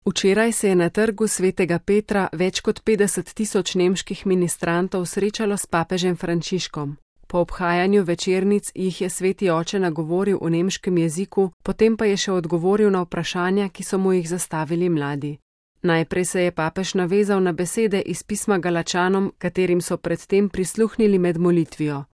Včeraj se je na trgu Svetega Petra več kot 50 tisoč nemških ministrantov srečalo s papežem Frančiškom. Po obhajanju večernic jih je sveti oče nagovoril v nemškem jeziku, potem pa je še odgovoril na vprašanja, ki so mu jih zastavili mladi. Najprej se je papež navezal na besede iz pisma Galačanom, katerim so predtem prisluhnili med molitvijo.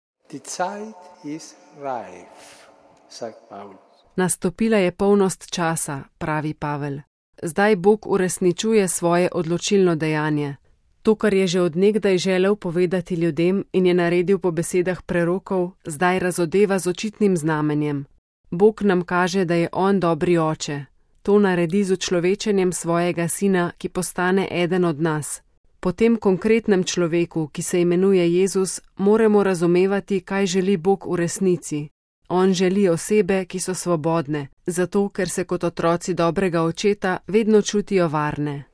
Nastopila je polnost časa, pravi Pavel. Zdaj Bog uresničuje svoje odločilno dejanje. To, kar je že od nekdaj želel povedati ljudem in je naredil po besedah prerokov, zdaj razodeva z očitnim znamenjem. Bog nam kaže, da je on dobri oče. To naredi z učlovečenjem svojega sina, ki postane eden od nas. Po tem konkretnem človeku, ki se imenuje Jezus, moramo razumevati, kaj želi Bog v resnici. On želi osebe, ki so svobodne, zato ker se kot otroci dobrega očeta vedno čutijo varne.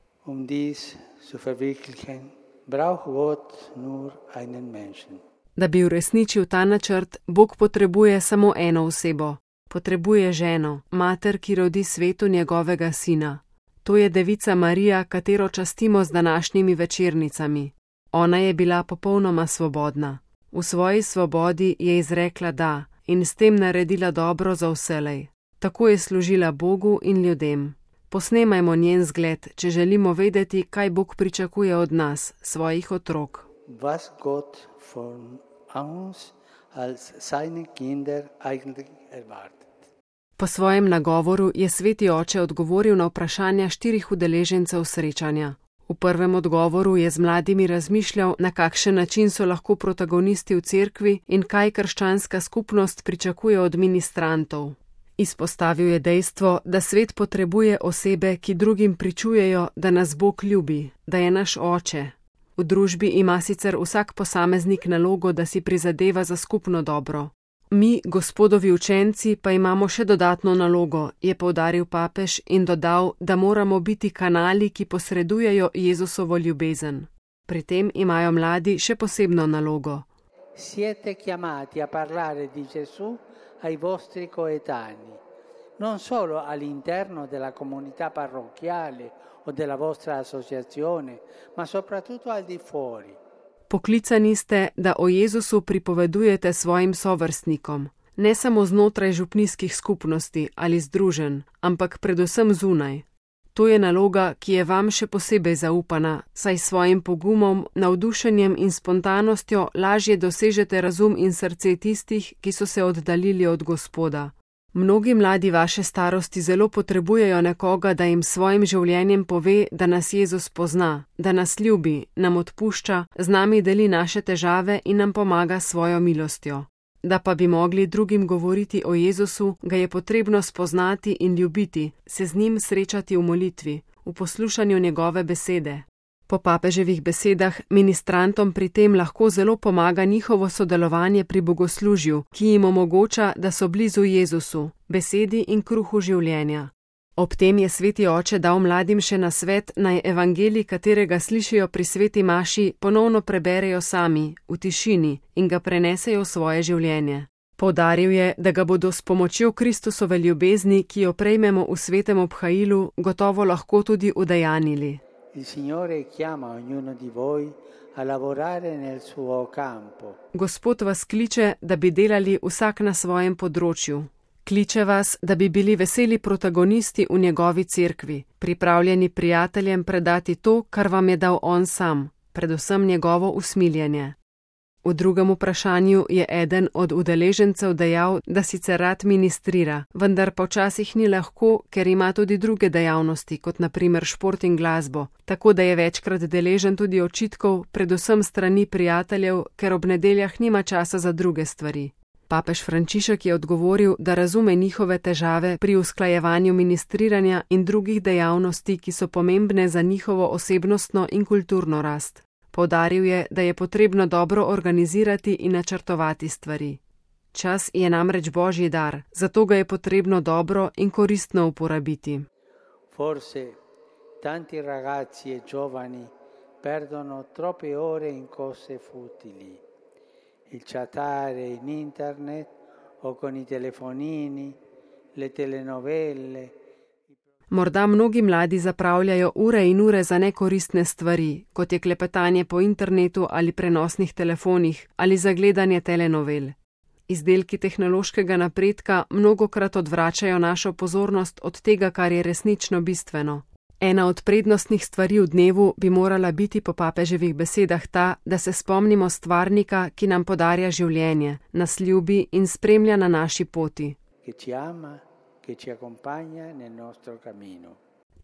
Da bi uresničil ta načrt, Bog potrebuje samo eno osebo. Potrebuje ženo, mater, ki rodi svetu njegovega sina. To je devica Marija, katero častimo z današnjimi večernicami. Ona je bila popolnoma svobodna. V svoji svobodi je izrekla da in s tem naredila dobro za vselej. Tako je služila Bogu in ljudem. Posnemajmo njen zgled, če želimo vedeti, kaj Bog pričakuje od nas, svojih otrok. Was Gott von uns als seine Kinder eigentlich erwartet. Po svojem nagovoru je sveti oče odgovoril na vprašanja 4 udeležencev srečanja. V prvem odgovoru je z mladimi razmišljal, na kakšen način so lahko protagonisti v cerkvi in kaj krščanska skupnost pričakuje od ministrantov. Izpostavil je dejstvo, da svet potrebuje osebe, ki drugim pričujejo, da nas Bog ljubi, da je naš oče. V družbi ima sicer vsak posameznik nalogo, da si prizadeva za skupno dobro. Mi, Gospodovi učenci, pa imamo še dodatno nalogo, je poudaril papež in dodal, da moramo biti kanali, ki posredujejo Jezusovo ljubezen. Pri tem imajo mladi še posebno nalogo. Siete chiamati a parlare di Gesù ai vostri coetanei, non solo all'interno della comunità parrocchiale o della vostra associazione, ma soprattutto al di fuori. Poklicani ste, da o Jezusu pripovedujete svojim sovrstnikom, ne samo znotraj župnijskih skupnosti ali združenj, ampak predvsem zunaj. To je naloga, ki je vam še posebej zaupana, saj s svojim pogumom, navdušenjem in spontanostjo lažje dosežete razum in srce tistih, ki so se oddaljili od Gospoda. Mnogi mladi vaše starosti zelo potrebujejo nekoga, da jim svojim življenjem pove, da nas Jezus pozna, da nas ljubi, nam odpušča, z nami deli naše težave in nam pomaga s svojo milostjo. Da pa bi mogli drugim govoriti o Jezusu, ga je potrebno spoznati in ljubiti, se z njim srečati v molitvi, v poslušanju njegove besede. Po papeževih besedah ministrantom pri tem lahko zelo pomaga njihovo sodelovanje pri bogoslužju, ki jim omogoča, da so blizu Jezusu, besedi in kruhu življenja. Ob tem je sveti oče dal mladim še nasvet, naj evangelij, katerega slišijo pri sveti maši, ponovno preberejo sami, v tišini in ga prenesejo v svoje življenje. Poudaril je, da ga bodo s pomočjo Kristusove ljubezni, ki jo prejmemo v svetem obhajilu, gotovo lahko tudi udejanili. Il Signore chiama ognuno di voi a lavorare nel suo campo. Gospod vas kliče, da bi delali vsak na svojem področju. Kliče vas, da bi bili veseli protagonisti v njegovi cerkvi, pripravljeni prijateljem predati to, kar vam je dal on sam, predvsem njegovo usmiljenje. V drugem vprašanju je eden od udeležencev dejal, da sicer rad ministrira, vendar pa včasih ni lahko, ker ima tudi druge dejavnosti, kot na primer šport in glasbo, tako da je večkrat deležen tudi očitkov, predvsem strani prijateljev, ker ob nedeljah nima časa za druge stvari. Papež Frančišek je odgovoril, da razume njihove težave pri usklajevanju ministriranja in drugih dejavnosti, ki so pomembne za njihovo osebnostno in kulturno rast. Poudaril je, da je potrebno dobro organizirati in načrtovati stvari. Čas je namreč Božji dar, zato ga je potrebno dobro in koristno uporabiti. Forse tanti ragazzi e giovani perdono troppe ore in cose futili. Il chattare in internet o con i telefonini, le telenovelle. Morda mnogi mladi zapravljajo ure in ure za nekoristne stvari, kot je klepetanje po internetu ali prenosnih telefonih ali za gledanje telenovel. Izdelki tehnološkega napredka mnogokrat odvračajo našo pozornost od tega, kar je resnično bistveno. Ena od prednostnih stvari v dnevu bi morala biti po papeževih besedah ta, da se spomnimo stvarnika, ki nam podarja življenje, nas ljubi in spremlja na naši poti.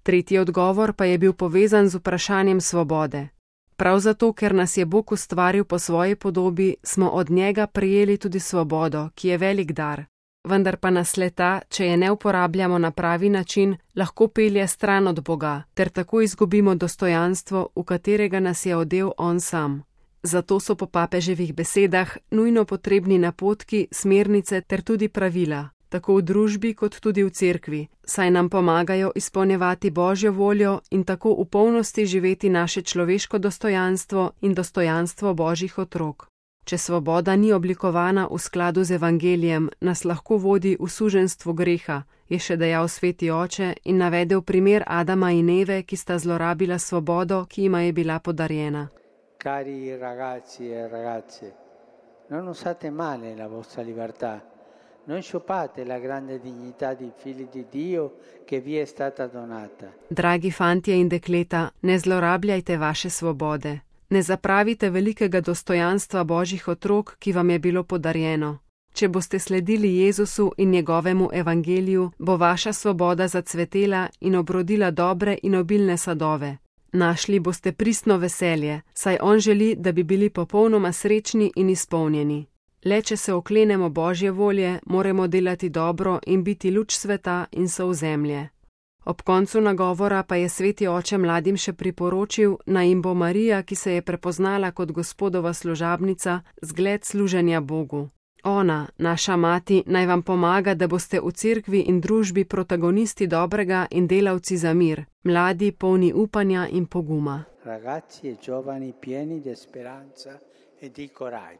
Tretji odgovor pa je bil povezan z vprašanjem svobode. Prav zato, ker nas je Bog ustvaril po svoji podobi, smo od njega prejeli tudi svobodo, ki je velik dar. Vendar pa nas le-ta, če je ne uporabljamo na pravi način, lahko pelje stran od Boga, ter tako izgubimo dostojanstvo, v katerega nas je odel on sam. Zato so po papeževih besedah nujno potrebni napotki, smernice ter tudi pravila, tako v družbi kot tudi v cerkvi, saj nam pomagajo izpolnjevati Božjo voljo in tako v polnosti živeti naše človeško dostojanstvo in dostojanstvo Božjih otrok. Če svoboda ni oblikovana v skladu z evangelijem, nas lahko vodi v suženjstvo greha, je še dejal sveti oče in navedel primer Adama in Eve, ki sta zlorabila svobodo, ki jima je bila podarjena. Cari ragazzi e ragazze, non usate male la vostra libertà, non sciupate la grande dignità di figli di Dio che vi è stata donata. Dragi fantje in dekleta, ne zlorabljajte vaše svobode. Ne zapravite velikega dostojanstva Božjih otrok, ki vam je bilo podarjeno. Če boste sledili Jezusu in njegovemu evangeliju, bo vaša svoboda zacvetela in obrodila dobre in obilne sadove. Našli boste pristno veselje, saj on želi, da bi bili popolnoma srečni in izpolnjeni. Le če se oklenemo Božje volje, moramo delati dobro in biti luč sveta in sol zemlje. Ob koncu nagovora pa je sveti oče mladim še priporočil, naj jim bo Marija, ki se je prepoznala kot Gospodova služabnica, zgled služenja Bogu. Ona, naša mati, naj vam pomaga, da boste v cerkvi in družbi protagonisti dobrega in delavci za mir, mladi polni upanja in poguma. Ragazzi e giovani pieni di speranza e di coraggio.